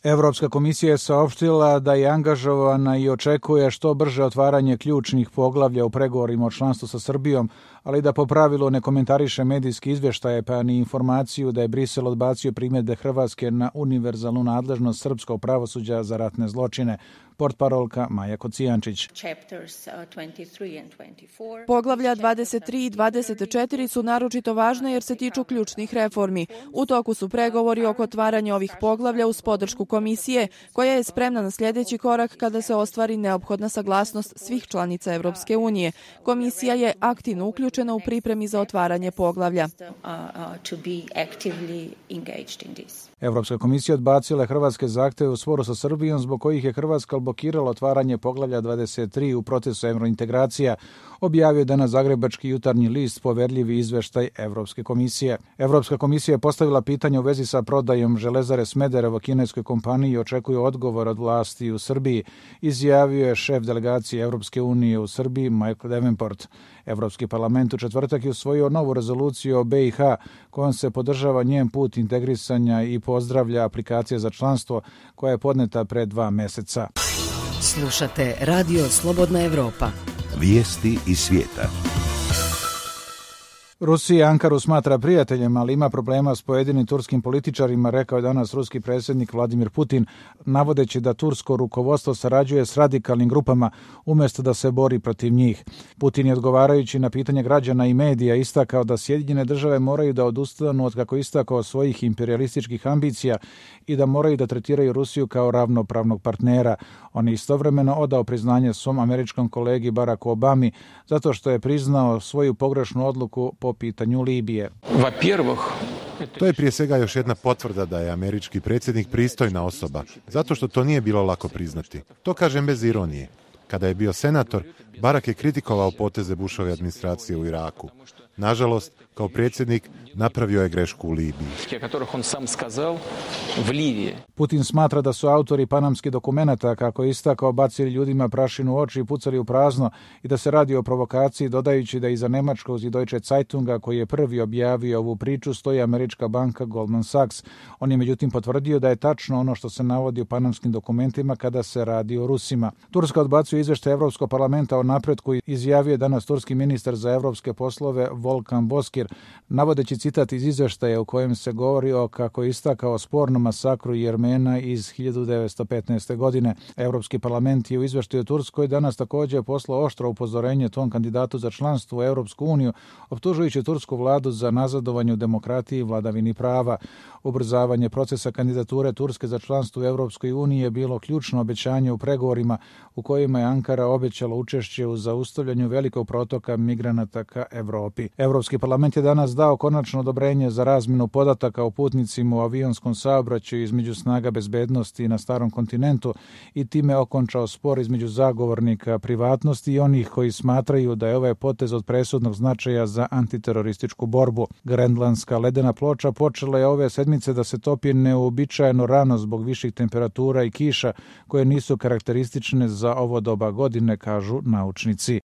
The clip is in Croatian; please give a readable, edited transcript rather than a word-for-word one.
Evropska komisija je saopštila da je angažovana i očekuje što brže otvaranje ključnih poglavlja u pregovorima o članstvu sa Srbijom, ali da po pravilu ne komentariše medijski izvještaje pa ni informaciju da je Brisel odbacio primjedbe Hrvatske na univerzalnu nadležnost srpskog pravosuđa za ratne zločine. Portparolka Maja Kocijančić. Poglavlja 23 i 24 su naročito važne jer se tiču ključnih reformi. U toku su pregovori oko otvaranja ovih poglavlja uz podršku komisije, koja je spremna na sljedeći korak kada se ostvari neophodna saglasnost svih članica Evropske unije. Komisija je aktivno uključena u pripremi za otvaranje poglavlja. Evropska komisija odbacila je hrvatske zahtjeve u sporu sa Srbijom zbog kojih je Hrvatska blokirala otvaranje poglavlja 23 u procesu eurointegracija, objavio danas Zagrebački jutarnji list poverljivi izveštaj Evropske komisije. Evropska komisija je postavila pitanje u vezi sa prodajom Železare Smederevo kineskoj kompaniji i očekuje odgovor od vlasti u Srbiji, izjavio je šef delegacije Evropske unije u Srbiji Michael Davenport. Evropski parlament u četvrtak je usvojio novu rezoluciju o BiH kojom se podržava njen put integrisanja i pozdravlja aplikacija za članstvo koja je podneta pre 2 meseca. Slušate Radio Slobodna Evropa. Vijesti iz svijeta. Rusija Ankaru smatra prijateljem, ali ima problema s pojedinim turskim političarima, rekao je danas ruski predsjednik Vladimir Putin, navodeći da tursko rukovodstvo sarađuje s radikalnim grupama umjesto da se bori protiv njih. Putin je odgovarajući na pitanje građana i medija istakao da Sjedinjene države moraju da odustanu od, kako istakao, svojih imperialističkih ambicija i da moraju da tretiraju Rusiju kao ravnopravnog partnera. On je istovremeno odao priznanje svom američkom kolegi Baracku Obami zato što je priznao svoju pogrešnu odluku po pitanju Libije. To je prije svega još jedna potvrda da je američki predsjednik pristojna osoba, zato što to nije bilo lako priznati. To kažem bez ironije. Kada je bio senator, Barack je kritikovao poteze Bushove administracije u Iraku. Nažalost, kao predsjednik napravio je grešku u Libiji. Putin smatra da su autori panamskih dokumenata, kako je istakao, bacili ljudima prašinu u oči i pucali u prazno i da se radi o provokaciji, dodajući da iza nemačkog Deutsche Zeitunga, koji je prvi objavio ovu priču, stoji američka banka Goldman Sachs. On je međutim potvrdio da je tačno ono što se navodi u panamskim dokumentima kada se radi o Rusima. Turska odbacuje izvještaj Evropskog parlamenta o napretku i izjavio je danas turski ministar za evropske poslove Volkan Bozkir, navodeći citat iz izvještaja u kojem se govori o, kako je istakao, spornom masakru Jermena iz 1915. godine. Evropski parlament je u izvještaju Turskoj danas također poslao oštro upozorenje tom kandidatu za članstvo u Europsku uniju, optužujući tursku vladu za nazadovanje u demokratiji i vladavini prava. Ubrzavanje procesa kandidature Turske za članstvo u Europskoj uniji je bilo ključno obećanje u pregovorima u kojima je Ankara obećala učešće u zaustavljanju velikog protoka migranata ka Evropi. Evropski parlament je danas dao konačno odobrenje za razmjenu podataka o putnicima u avionskom saobraćaju između snaga bezbednosti na Starom kontinentu i time okončao spor između zagovornika privatnosti i onih koji smatraju da je ovaj potez od presudnog značaja za antiterorističku borbu. Grenlandska ledena ploča počela je ove sedmice da se topi neuobičajeno rano zbog viših temperatura i kiša koje nisu karakteristične za ovo doba godine, kažu naučnici.